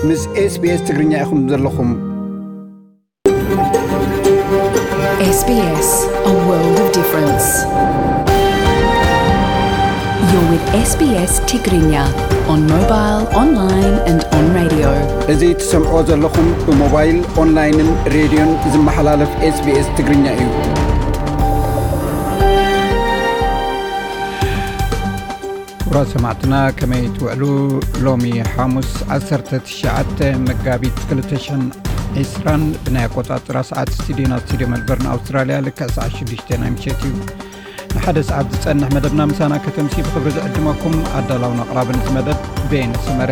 ምስ SBS ትግርኛ ኢኹም ዘለኹም። S B S, a world of difference. You're with S B S Tigrinya on mobile, online and on radio. እዚ ትሰምዖ ዘለኹም ብሞባይል፣ ኦንላይንን ሬድዮን ዝመሓላለፍ SBS ትግርኛ እዩ። ክቡራት ሰማዕትና ከመይ ትውዕሉ? ሎሚ ሓሙስ ዓሰርተ ትሽዓተ መጋቢት ክልተ ሽሕን ዕስራን ብናይ ኣቆጻጽራ ሰዓት ስቱድዮና ስቱድዮ መልበርን ኣውስትራልያ ልክዕ ሰዓት ሽዱሽተ ናይ ምሸት እዩ። ንሓደ ሰዓት ዝጸንሕ መደብና ምሳና ከተምሲ ብኽብሪ ዝዕድመኩም ኣዳላውን ኣቕራብን እዚ መደብ ቤን ስመረ።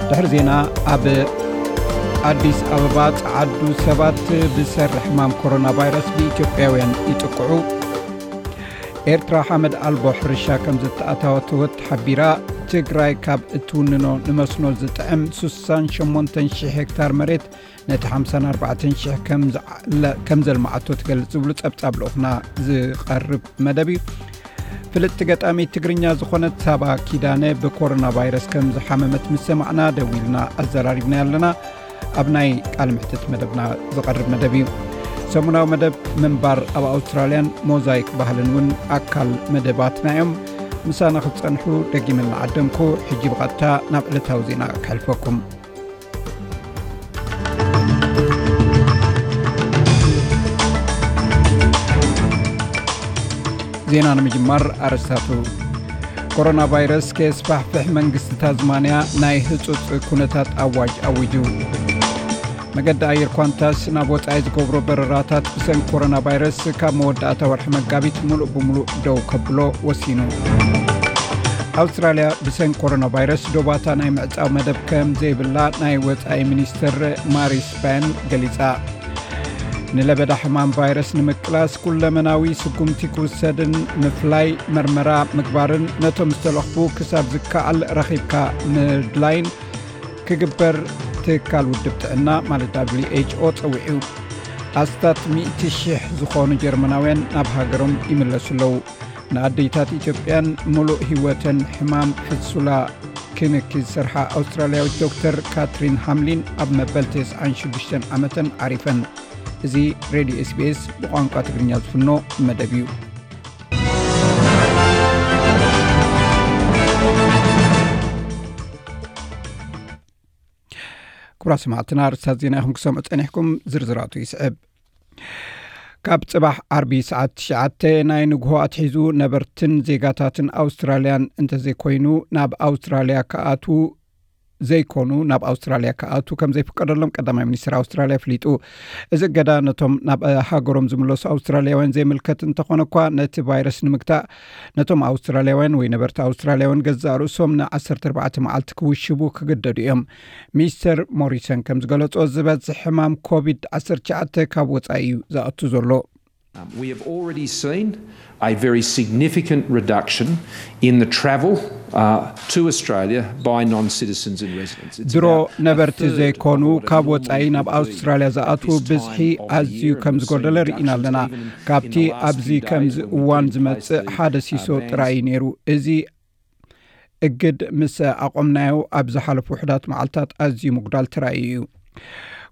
ድሕሪ ዜና ኣብ ኣዲስ ኣበባ ጸዓዱ ሰባት ብሰሪ ሕማም ኮሮና ቫይረስ ብኢትዮጵያውያን ይጥቅዑ። ኤርትራ ሓመድ ኣልቦ ሕርሻ ከም ዝተኣታወተወት ሓቢራ። ትግራይ ካብ እትውንኖ ንመስኖ ዝጥዕም ስሳን ሸሞንተን ሽሕ ሄክታር መሬት ነቲ ሓምሳን ኣርባዕተን ሽሕ ከም ዘልመዓቶ ትገልጽ ዝብሉ ጸብጻብ ልኡኽና ዝቐርብ መደብ እዩ። ፍልጥቲ ገጣሚት ትግርኛ ዝኾነት ሳባ ኪዳነ ብኮሮና ቫይረስ ከም ዝሓመመት ምስ ሰማዕና ደዊልና ኣዘራሪብና ኣለና። ኣብ ናይ ቃል ምሕትት መደብና ዝቐርብ መደብ እዩ። ሰሙናዊ መደብ ምንባር ኣብ ኣውስትራልያን ሞዛይክ ባህልን እውን ኣካል መደባትና እዮም። ምሳና ክትጸንሑ ደጊመ እናዓደምኩ ሕጂ ብቐጥታ ናብ ዕለታዊ ዜና ከሕልፈኩም። ዜና ንምጅማር ኣረስታቱ። ኮሮና ቫይረስ ከየስፋሕፍሕ መንግስቲ ታዝማንያ ናይ ህጹጽ ኩነታት ኣዋጅ ኣዊጁ። መገዲ ኣየር ኳንታስ ናብ ወጻኢ ዝገብሮ በረራታት ብሰንኪ ኮሮና ቫይረስ ካብ መወዳእታ ወርሒ መጋቢት ሙሉእ ብሙሉእ ደው ከብሎ ወሲኑ። ኣውስትራልያ ብሰንኪ ኮሮና ቫይረስ ዶባታ ናይ ምዕጻው መደብ ከም ዘይብላ ናይ ወጻኢ ሚኒስትር ማሪስ ፓይን ገሊጻ። ንለበዳ ሕማም ቫይረስ ንምቅላስ ኩለመናዊ ስጉምቲ ክውሰድን ምፍላይ፣ መርመራ ምግባርን ነቶም ዝተለኽፉ ክሳብ ዝከኣል ረኺብካ ምድላይን ክግበር ትካል ውድብ ጥዕና ማለት W H O ጸዊዑ። ኣስታት ሚእቲ ሽሕ ዝኾኑ ጀርመናውያን ናብ ሃገሮም ይምለሱ ኣለዉ። ንኣደይታት ኢትዮጵያን ሙሉእ ህይወተን ሕማም ፍሱላ ክንኪ ዝሰርሓ ኣውስትራልያዊት ዶክተር ካትሪን ሃምሊን ኣብ መበል ተስዓን ሽዱሽተን ዓመተን ዓሪፈን። እዚ ሬድዮ S B S ብቋንቋ ትግርኛ ዝፍኖ መደብ እዩ። ክቡራት ሰማዕትና፣ ኣርእስታት ዜና ኢኹም ክሰምዑ ጸኒሕኩም። ዝርዝራቱ ይስዕብ። ካብ ጽባሕ ዓርቢ ሰዓት ትሽዓተ ናይ ንግሆ ኣትሒዙ ነበርትን ዜጋታትን ኣውስትራልያን እንተዘይኮይኑ ናብ ኣውስትራልያ ክኣትዉ ዘይኮኑ ናብ ኣውስትራልያ ክኣትዉ ከም ዘይፍቀደሎም ቀዳማይ ሚኒስትር ኣውስትራልያ ኣፍሊጡ። እዚ እገዳ ነቶም ናብ ሃገሮም ዝምለሱ ኣውስትራልያውያን ዘይምልከት እንተኾነ እኳ፣ ነቲ ቫይረስ ንምግታእ ነቶም ኣውስትራልያውያን ወይ ነበርቲ ኣውስትራልያውያን ገዛእ ርእሶም ን ዓሰርተ ኣርባዕተ መዓልቲ ክውሽቡ ክግደዱ እዮም። ሚስተር ሞሪሰን ከም ዝገለጾ፣ ዝበዝሕ ሕማም ኮቪድ ዓሰርተ ትሽዓተ ካብ ወጻኢ እዩ ዝኣቱ ዘሎ። Um, we have already seen a very significant reduction in the travel uh, to Australia by non-citizens and residents. It's ድሮ about a ነበርቲ third ዘይኮኑ of what it ካብ normally ወጻኢ ናብ would be ኣውስትራልያ at ዝኣትዉ this ብዝሒ time of the ኣዝዩ year, and ከም we've seen ዝጎደለ ርኢና reductions ኣለና። even in ካብቲ the last ኣብዚ few ከምዚ days when እዋን people ዝመጽእ placed ሓደ their, ሲሶ uh, ጥራይ እዩ bans. ነይሩ። እዚ እግድ ምስ ኣቖምናዮ ኣብ ዝሓለፉ ውሑዳት መዓልታት ኣዝዩ ምጉዳል ተራእዩ እዩ።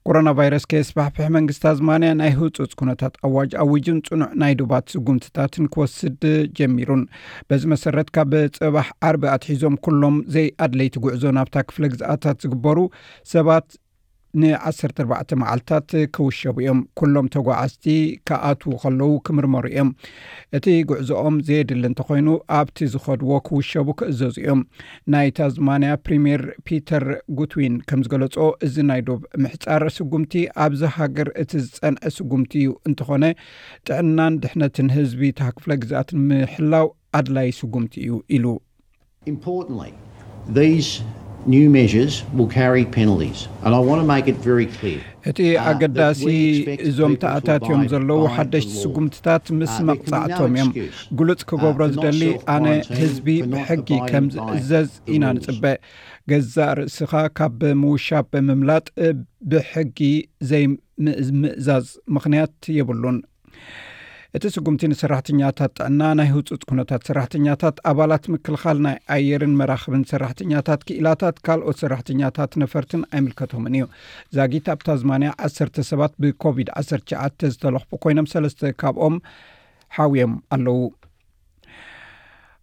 ኮሮና ቫይረስ ከየስፋሕፍሕ መንግስቲ ታዝማንያ ናይ ህጹጽ ኩነታት ኣዋጅ ኣዊጁን ጽኑዕ ናይ ዶባት ስጉምትታትን ክወስድ ጀሚሩን። በዚ መሰረት ካብ ጽባሕ ዓርቢ ኣትሒዞም ኩሎም ዘይኣድለይቲ ጉዕዞ ናብታ ክፍለ ግዝኣታት ዝግበሩ ሰባት ን ዓሰርተ ኣርባዕተ መዓልታት ክውሸቡ እዮም። ኩሎም ተጓዓዝቲ ክኣትዉ ከለዉ ክምርመሩ እዮም። እቲ ጉዕዞኦም ዘየድሊ እንተኾይኑ ኣብቲ ዝኸድዎ ክውሸቡ ክእዘዙ እዮም። ናይ ታዝማንያ ፕሪምየር ፒተር ጉትዊን ከም ዝገለጾ፣ እዚ ናይ ዶብ ምሕጻር ስጉምቲ ኣብዚ ሃገር እቲ ዝጸንዐ ስጉምቲ እዩ። እንተኾነ ጥዕናን ድሕነትን ህዝቢ እታ ክፍለ ግዝኣት ንምሕላው ኣድላይ ስጉምቲ እዩ ኢሉ። Importantly, these new measures will carry penalties, and I want to make it very clear. እቲ ኣገዳሲ እዞም ተኣታትዮም ዘለዉ ሓደሽቲ ስጉምትታት ምስ መቕጻዕቶም እዮም። ግሉጽ ክገብሮ ዝደሊ፣ ኣነ ህዝቢ ብሕጊ ከም ዝእዘዝ ኢና ንጽበ። ገዛእ ርእስኻ ካብ ምውሻብ ብምምላጥ ብሕጊ ዘይምእዛዝ ምኽንያት የብሉን። እቲ ስጉምቲ ንሰራሕተኛታት ጥዕና፣ ናይ ህጹጽ ኩነታት ሰራሕተኛታት፣ ኣባላት ምክልኻል ናይ ኣየርን መራኽብን ሰራሕተኛታት፣ ክኢላታት፣ ካልኦት ሰራሕተኛታት ነፈርትን ኣይምልከቶምን እዩ። ዛጊት ኣብ ታዝማንያ ዓሰርተ ሰባት ብኮቪድ ዓሰርተ ትሽዓተ ዝተለኽፉ ኮይኖም፣ ሰለስተ ካብኦም ሓውዮም ኣለዉ።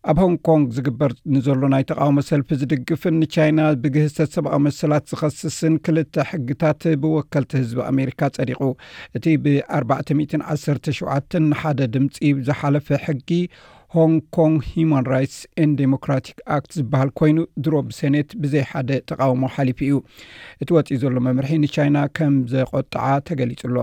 ኣብ ሆንግ ኮንግ ዝግበር ንዘሎ ናይ ተቃውሞ ሰልፊ ዝድግፍን ንቻይና ብግህሰት ሰብኣዊ መሰላት ዝኸስስን ክልተ ሕግታት ብወከልቲ ህዝቢ ኣሜሪካ ጸዲቑ። እቲ ብ ኣርባዕተ ሚእትን ዓሰርተ ሸውዓተን ንሓደ ድምፂ ዝሓለፈ ሕጊ ሆንግ ኮንግ ሂማን ራይትስ ኤንድ ዴሞክራቲክ ኣክት ዝበሃል ኮይኑ፣ ድሮ ብሴኔት ብዘይ ሓደ ተቃውሞ ሓሊፉ እዩ። እቲ ወፂኡ ዘሎ መምርሒ ንቻይና ከም ዘቆጥዓ ተገሊጹ ኣሎ።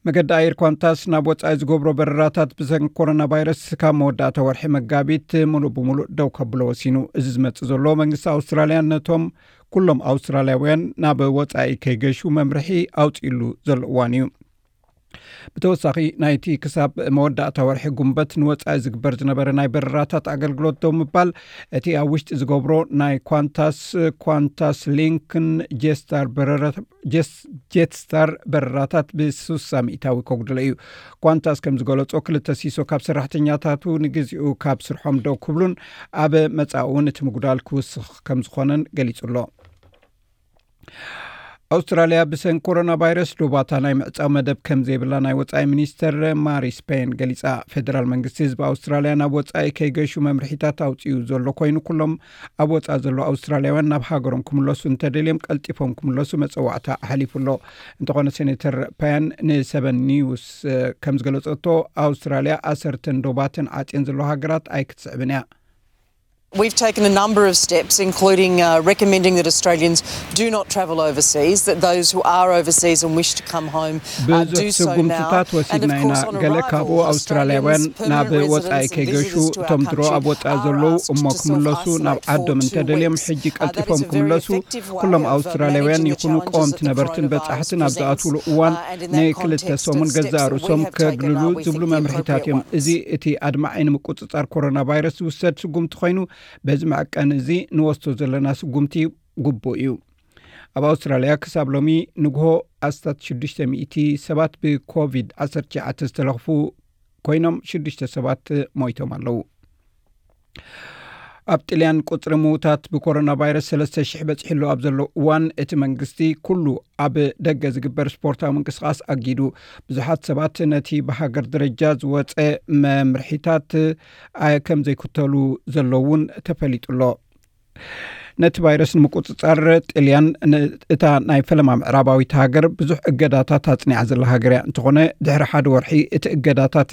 መገዲ ኣየር ኳንታስ ናብ ወጻኢ ዝገብሮ በረራታት ብሰንኪ ኮሮና ቫይረስ ካብ መወዳእታ ወርሒ መጋቢት ምሉእ ብምሉእ ደው ከብሎ ወሲኑ። እዚ ዝመጽእ ዘሎ መንግስቲ ኣውስትራልያ ነቶም ኩሎም ኣውስትራልያውያን ናብ ወጻኢ ከይገሹ መምርሒ ኣውጺእሉ ዘሎ እዋን እዩ። ብተወሳኺ ናይቲ ክሳብ መወዳእታ ወርሒ ጉንበት ንወጻኢ ዝግበር ዝነበረ ናይ በረራታት ኣገልግሎት ደው ምባል፣ እቲ ኣብ ውሽጢ ዝገብሮ ናይ ኳንታስ፣ ኳንታስ ሊንክን ጄስታር በረራ ጀስ-፣ ጀትስታር በረራታት ብ ስሳ ሚእታዊ ከጉድሎ እዩ። ኳንታስ ከም ዝገለጾ፣ ክልተ ሲሶ ካብ ሰራሕተኛታቱ ንግዚኡ ካብ ስርሖም ደው ክብሉን ኣብ መጻኢ እውን እቲ ምጉዳል ክውስኽ ከም ዝኾነን ገሊጹ ኣሎ። ኣውስትራልያ ብሰንኪ ኮሮና ቫይረስ ዶባታ ናይ ምዕጻው መደብ ከም ዘይብላ ናይ ወጻኢ ሚኒስተር ማሪ ስፔን ገሊጻ። ፌደራል መንግስቲ ህዝቢ ኣውስትራልያ ናብ ወጻኢ ከይገሹ መምርሒታት ኣውጺኡ ዘሎ ኮይኑ፣ ኩሎም ኣብ ወጻኢ ዘለዉ ኣውስትራልያውያን ናብ ሃገሮም ክምለሱ እንተደልዮም ቀልጢፎም ክምለሱ መጸዋዕታ ኣሕሊፉ ኣሎ። እንተኾነ ሴኔተር ፓያን ንሰበን ኒውስ ከም ዝገለጸቶ፣ ኣውስትራልያ ኣሰርተን ዶባትን ዓጽየን ዘለዋ ሃገራት ኣይክትስዕብን እያ። We've taken a number of steps, including uh, recommending that Australians do not travel overseas, that those who are overseas and wish to come home uh, ብዙሕ do so now. ስጉምትታት And of ወሲድና ኢና። course, on ገለ arrival, ካብኡ ኣውስትራልያውያን Australians, ናብ permanent ወጻኢ residents and ከይገሹ፣ visitors to our እቶም ድሮ country ኣብ ወጻኢ are ዘለዉ asked እሞ to ክምለሱ፣ self-isolate ናብ for ዓዶም two እንተደልዮም weeks. ሕጂ Uh, that ቀልጢፎም is a very ክምለሱ፣ effective way ኩሎም of አውስትራልያውያን managing the ይኹኑ challenges ቀወምቲ that the ነበርትን በጻሕትን coronavirus ኣብ presents. ዝኣትውሉ እዋን Uh, and in that ንክልተ context, ሰሙን the ገዛ steps that ርእሶም we have taken ከግልሉ are, we ዝብሉ think, the መምርሒታት እዮም። appropriate እዚ ones. እቲ ኣድማዒ ንምቁጽጻር ኮሮና ቫይረስ ዝውሰድ ስጉምቲ ኮይኑ፣ በዚ መዐቀኒ እዚ ንወስዶ ዘለና ስጉምቲ ግቡእ እዩ። ኣብ ኣውስትራልያ ክሳብ ሎሚ ንግሆ ኣስታት ሽዱሽተ ሚእቲ ሰባት ብኮቪድ ዓሰርተ ትሽዓተ ዝተለኽፉ ኮይኖም፣ ሽዱሽተ ሰባት ሞይቶም ኣለዉ። ኣብ ጥልያን ቁጽሪ ምዉታት ብኮሮና ቫይረስ ሰለስተ ሽሕ በጺሑ ኣሎ ኣብ ዘሎ እዋን፣ እቲ መንግስቲ ኩሉ ኣብ ደገ ዝግበር ስፖርታዊ ምንቅስቓስ ኣጊዱ። ብዙሓት ሰባት ነቲ ብሃገር ደረጃ ዝወጸ መምርሒታት ኣየ ከም ዘይክተሉ ዘሎ እውን ተፈሊጡ ኣሎ። ነቲ ቫይረስ ንምቁጽጻር ጥልያን ን-፣ እታ ናይ ፈለማ ምዕራባዊት ሃገር ብዙሕ እገዳታት ኣጽኒዓ ዘላ ሃገር እያ። እንተኾነ ድሕሪ ሓደ ወርሒ እቲ እገዳታት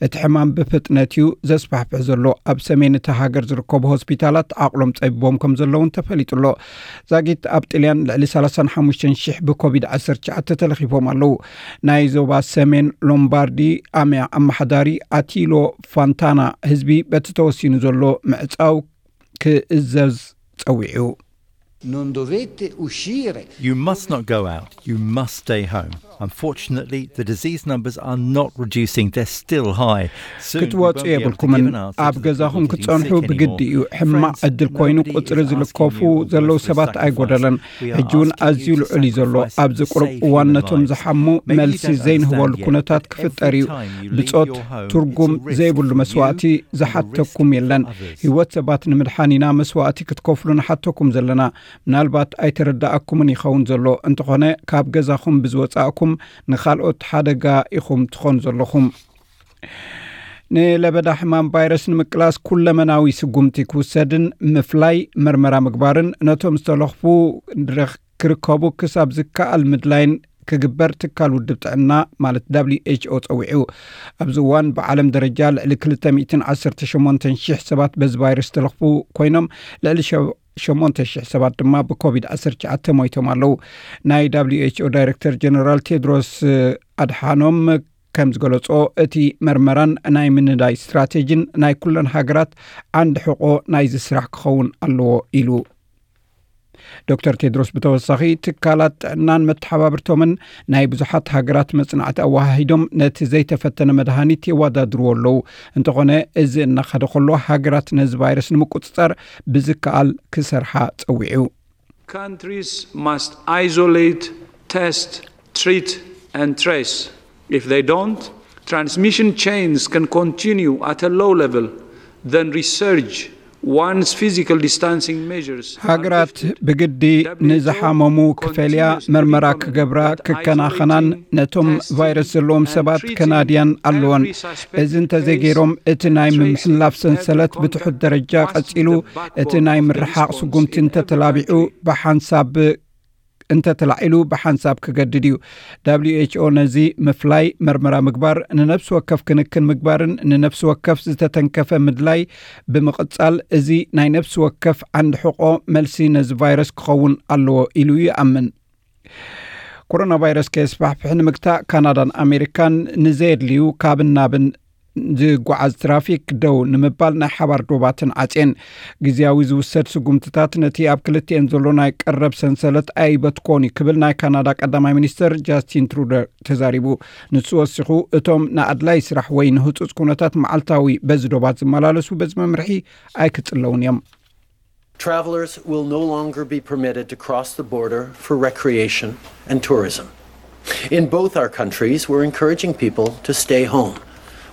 እቲ ሕማም ብፍጥነት እዩ ዘስፋሕፍሕ ዘሎ። ኣብ ሰሜን እታ ሃገር ዝርከቡ ሆስፒታላት ዓቕሎም ጸቢቦም ከም ዘለውን ተፈሊጡ ኣሎ። ዛጊት ኣብ ጥልያን ልዕሊ ሰላሳን ሓሙሽተን ሽሕ ብኮቪድ ዓሰርተ ትሽዓተ ተለኺፎም ኣለዉ። ናይ ዞባ ሰሜን ሎምባርዲ ኣምያ ኣመሓዳሪ ኣቲሎ ፋንታና ህዝቢ በቲ ተወሲኑ ዘሎ ምዕጻው ክእዘዝ ጸዊዑ። Non dovete uscire. You must not go out. You must stay home. Unfortunately, the disease numbers are not reducing. They're still high. Soon, we won't ክትወጹ be able to የብልኩምን። give an answer ኣብ to the people ገዛኹም who didn't ክትጸንሑ seek any ብግዲ more. እዩ። ሕማቕ Friends, ዕድል ኮይኑ nobody ቁጽሪ is asking ዝለከፉ you or ዘለዉ yours to ሰባት sacrifice. ኣይጎደለን። We are ሕጂ እውን asking ኣዝዩ you to ልዑል እዩ ዘሎ። sacrifice ኣብዚ to ቁሩብ save እዋን human ነቶም lives. ዝሓሙ Maybe you መልሲ don't ዘይንህበሉ understand yet. ኩነታት ክፍጠር Every እዩ። time you leave ብጾት your home, ትርጉም it's a risk ዘይብሉ for መስዋእቲ you and the ዝሓተኩም risk for የለን። others. ህይወት ሰባት ንምድሓን ኢና መስዋእቲ ክትከፍሉ ንሓተኩም ዘለና። ምናልባት ኣይተረዳኣኩምን ይኸውን ዘሎ። እንተኾነ ካብ ገዛኹም ብዝወጻእኩም ንኻልኦት ሓደጋ ኢኹም ትኾኑ ዘለኹም። ንለበዳ ሕማም ቫይረስ ንምቅላስ ኩለመናዊ ስጉምቲ ክውሰድን ምፍላይ መርመራ ምግባርን ነቶም ዝተለኽፉ ድረኽ ክርከቡ ክሳብ ዝከኣል ምድላይን ክግበር ትካል ውድብ ጥዕና ማለት ደብሊው ኤች ኦ ጸዊዑ። ኣብዚ እዋን ብዓለም ደረጃ ልዕሊ ክልተ ሚእትን ዓሰርተ ሸሞንተን ሽሕ ሰባት በዚ ቫይረስ ዝተለኽፉ ኮይኖም፣ ልዕሊ ሸ-፣ ሸሞንተ ሽሕ ሰባት ድማ ብኮቪድ ዓሰርተ ትሽዓተ ሞይቶም ኣለዉ። ናይ ደብሊው ኤች ኦ ዳይሬክተር ጀነራል ቴድሮስ ኣድሓኖም ከም ዝገለጾ፣ እቲ መርመራን ናይ ምንዳይ ስትራቴጂን ናይ ኩለን ሃገራት ዓንዲ ሕቆ ናይዚ ስራሕ ክኸውን ኣለዎ ኢሉ። ዶክተር ቴድሮስ ብተወሳኺ፣ ትካላት ጥዕናን መተሓባብርቶምን ናይ ብዙሓት ሃገራት መጽናዕቲ ኣወሃሂዶም ነቲ ዘይተፈተነ መድሃኒት የወዳድርዎ ኣለዉ። እንተኾነ፣ እዚ እናኸደ ከሎ ሃገራት ነዚ ቫይረስ ንምቁጽጻር ብዝከኣል ክሰርሓ ጸዊዑ። Countries must isolate, test, treat and trace. If they don't, transmission chains can continue at a low level, then resurge once physical distancing measures are ሃገራት lifted. ብግዲ ንዝሓመሙ ክፈልያ፣ መርመራ ክገብራ፣ ክከናኸናን ነቶም ቫይረስ ዘለዎም ሰባት ከናድያን ኣለዎን። እዚ እንተዘይገይሮም፣ እቲ ናይ ምምሕላፍ ሰንሰለት ብትሑት ደረጃ ቀጺሉ፣ እቲ ናይ ምርሓቕ ስጉምቲ እንተተላቢዑ ብሓንሳብ እንተተላዒሉ ብሓንሳብ ክገድድ እዩ። ደብሊው ኤች ኦ ነዚ ምፍላይ፣ መርመራ ምግባር፣ ንነፍሲ ወከፍ ክንክን ምግባርን ንነፍሲ ወከፍ ዝተተንከፈ ምድላይ ብምቕጻል፣ እዚ ናይ ነፍሲ ወከፍ ዓንዲ ሕቖ መልሲ ነዚ ቫይረስ ክኸውን ኣለዎ ኢሉ ይኣምን። ኮሮና ቫይረስ ከየስፋሕፍሕ ንምግታእ፣ ካናዳን ኣሜሪካን ንዘየድልዩ ካብን ናብን ዝጓዓዝ ትራፊክ ደው ንምባል ናይ ሓባር ዶባትን ዓጽየን። ግዝያዊ ዝውሰድ ስጉምትታት ነቲ ኣብ ክልቲኤን ዘሎ ናይ ቀረብ ሰንሰለት ኣይበትኮን እዩ ክብል ናይ ካናዳ ቀዳማይ ሚኒስትር ጃስቲን ትሩደር ተዛሪቡ። ንሱ ወሲኹ፣ እቶም ንኣድላይ ስራሕ ወይ ንህጹጽ ኩነታት መዓልታዊ በዚ ዶባት ዝመላለሱ በዚ መምርሒ ኣይክጽለውን እዮም። Travelers will no longer be permitted to cross the border for recreation and tourism. In both our countries, we're encouraging people to stay home.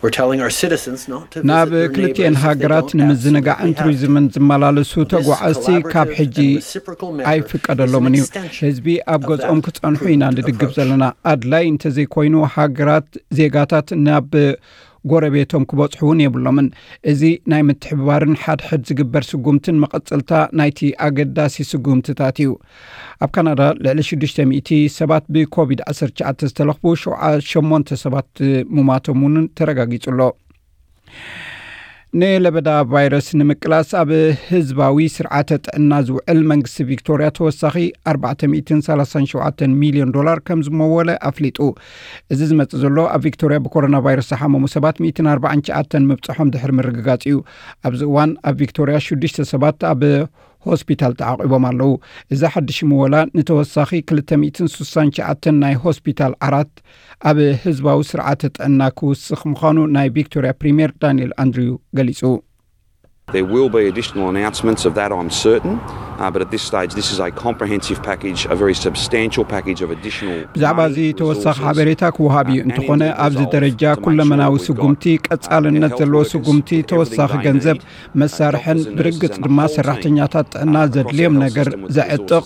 We're telling our citizens not to visit ናብ their ክልቲኤን neighbors if they ሃገራት don't ንምዝንጋዕን absolutely have to. ቱሪዝምን ዝመላለሱ This ተጓዓዝቲ ካብ collaborative ሕጂ and reciprocal method is ኣይፍቀደሎምን an እዩ። extension ህዝቢ ኣብ of ገዝኦም that ክጸንሑ appro- ኢና ንድግፍ approach. ዘለና። ኣድላይ እንተዘይኮይኑ፣ ሃገራት ዜጋታት ናብ ጎረቤቶም ክበጽሑ እውን የብሎምን። እዚ ናይ ምትሕብባርን ሓድሕድ ዝግበር ስጉምትን መቐጸልታ ናይቲ ኣገዳሲ ስጉምትታት እዩ። ኣብ ካናዳ ልዕሊ ሽዱሽተ ሚእቲ ሰባት ብኮቪድ ዓሰርተ ትሽዓተ ዝተለኽፉ፣ ሸውዓ- ሸሞንተ ሰባት ምሟቶም እውን ተረጋጊጹ ኣሎ። ንለበዳ ቫይረስ ንምቅላስ ኣብ ህዝባዊ ስርዓተ ጥዕና ዝውዕል መንግስቲ ቪክቶርያ ተወሳኺ ኣርባዕተ ሚእትን ሰላሳን ሸውዓተን ሚልዮን ዶላር ከም ዝመወለ ኣፍሊጡ። እዚ ዝመጽእ ዘሎ ኣብ ቪክቶርያ ብኮሮና ቫይረስ ዝሓመሙ ሰባት ሚእትን ኣርባዓን ትሽዓተን ምብጽሖም ድሕሪ ምርግጋጽ እዩ። ኣብዚ እዋን ኣብ ቪክቶርያ ሽዱሽተ ሰባት ኣብ ሆስፒታል ተዓቒቦም ኣለዉ። እዚ ሓድሽ ምወላ ንተወሳኺ ክልተ ሚእትን ስሳን ትሽዓተን ናይ ሆስፒታል ዓራት ኣብ ህዝባዊ ስርዓተ ጥዕና ክውስኽ ምዃኑ ናይ ቪክቶርያ ፕሪምየር ዳንኤል ኣንድሪው ገሊጹ። There will be additional announcements of that, I'm certain. Uh, but at this stage, this is a comprehensive package, a very substantial package of additional. ብዛዕባ እዚ ተወሳኺ ሓበሬታ ክወሃብ እዩ። እንተኾነ ኣብዚ ደረጃ ኩለመናዊ ስጉምቲ፣ ቀጻልነት ዘለዎ ስጉምቲ፣ ተወሳኺ ገንዘብ፣ መሳርሕን ብርግጽ ድማ ሰራሕተኛታት ጥዕና ዘድልዮም ነገር ዘዕጥቕ፣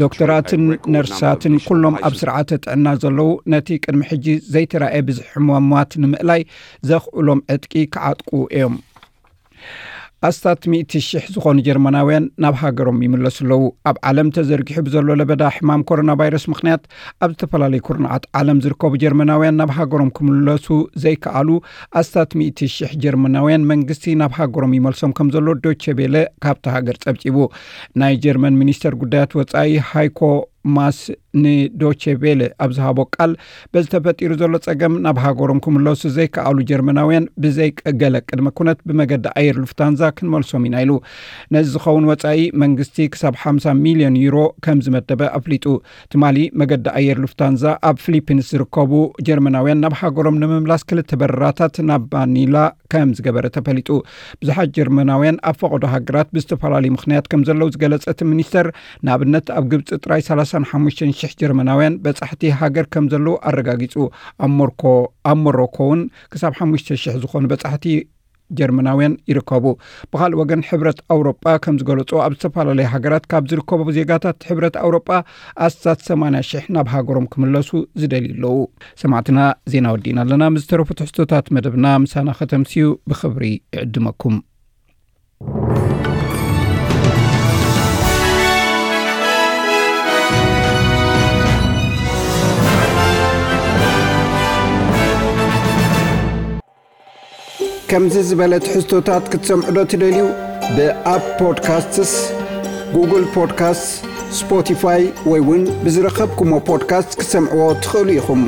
ዶክተራትን ነርሳትን ኩሎም ኣብ ስርዓተ ጥዕና ዘለዉ ነቲ ቅድሚ ሕጂ ዘይተራእየ ብዝሒ ሕሙማት ንምእላይ ዘኽእሎም ዕጥቂ ክዓጥቁ እዮም። ኣስታት ሚእቲ ሽሕ ዝኾኑ ጀርመናውያን ናብ ሃገሮም ይምለሱ ኣለዉ። ኣብ ዓለም ተዘርጊሑ ብዘሎ ለበዳ ሕማም ኮሮና ቫይረስ ምኽንያት ኣብ ዝተፈላለዩ ኩርናዓት ዓለም ዝርከቡ ጀርመናውያን ናብ ሃገሮም ክምለሱ ዘይከኣሉ ኣስታት ሚእቲ ሽሕ ጀርመናውያን መንግስቲ ናብ ሃገሮም ይመልሶም ከም ዘሎ ዶቼ ቤለ ካብቲ ሃገር ጸብጺቡ። ናይ ጀርመን ሚኒስተር ጉዳያት ወጻኢ ሃይኮ ማስ ንዶቼ ቬለ ኣብ ዝሃቦ ቃል፣ በዚ ተፈጢሩ ዘሎ ጸገም ናብ ሃገሮም ክምለሱ ዘይከኣሉ ጀርመናውያን ብዘይ ገለ ቅድመ ኩነት ብመገዲ ኣየር ሉፍታንዛ ክንመልሶም ኢና ኢሉ። ነዚ ዝኸውን ወጻኢ መንግስቲ ክሳብ ሓምሳ ሚልዮን ዩሮ ከም ዝመደበ ኣፍሊጡ። ትማሊ መገዲ ኣየር ሉፍታንዛ ኣብ ፊሊፒንስ ዝርከቡ ጀርመናውያን ናብ ሃገሮም ንምምላስ ክልተ በረራታት ናብ ማኒላ ከም ዝገበረ ተፈሊጡ። ብዙሓት ጀርመናውያን ኣብ ፈቐዶ ሃገራት ብዝተፈላለዩ ምኽንያት ከም ዘለዉ ዝገለጸ እቲ ሚኒስተር፣ ንኣብነት ኣብ ግብጺ ጥራይ ሰላሳን ሓሙሽተን ሽሕ ጀርመናውያን በጻሕቲ ሃገር ከም ዘለዉ ኣረጋጊጹ። ኣብ ሞርኮ ኣብ ሞሮኮ እውን ክሳብ ሓሙሽተ ሽሕ ዝኾኑ በጻሕቲ ጀርመናውያን ይርከቡ። ብኻልእ ወገን ሕብረት ኣውሮጳ ከም ዝገለጾ ኣብ ዝተፈላለዩ ሃገራት ካብ ዝርከቡ ዜጋታት ሕብረት ኣውሮጳ ኣስታት ሰማንያ ሽሕ ናብ ሃገሮም ክምለሱ ዝደልዩ ኣለዉ። ሰማዕትና ዜና ወዲእና ኣለና። ምስ ዝተረፉ ትሕዝቶታት መደብና ምሳና ከተምስዩ ብኽብሪ ይዕድመኩም። ከምዚ ዝበለ ትሕዝቶታት ክትሰምዑ ዶ ትደልዩ? ብኣፕ ፖድካስትስ፣ ጉግል ፖድካስትስ፣ ስፖቲፋይ ወይ እውን ብዝረኸብኩሞ ፖድካስት ክትሰምዕዎ ትኽእሉ ኢኹም።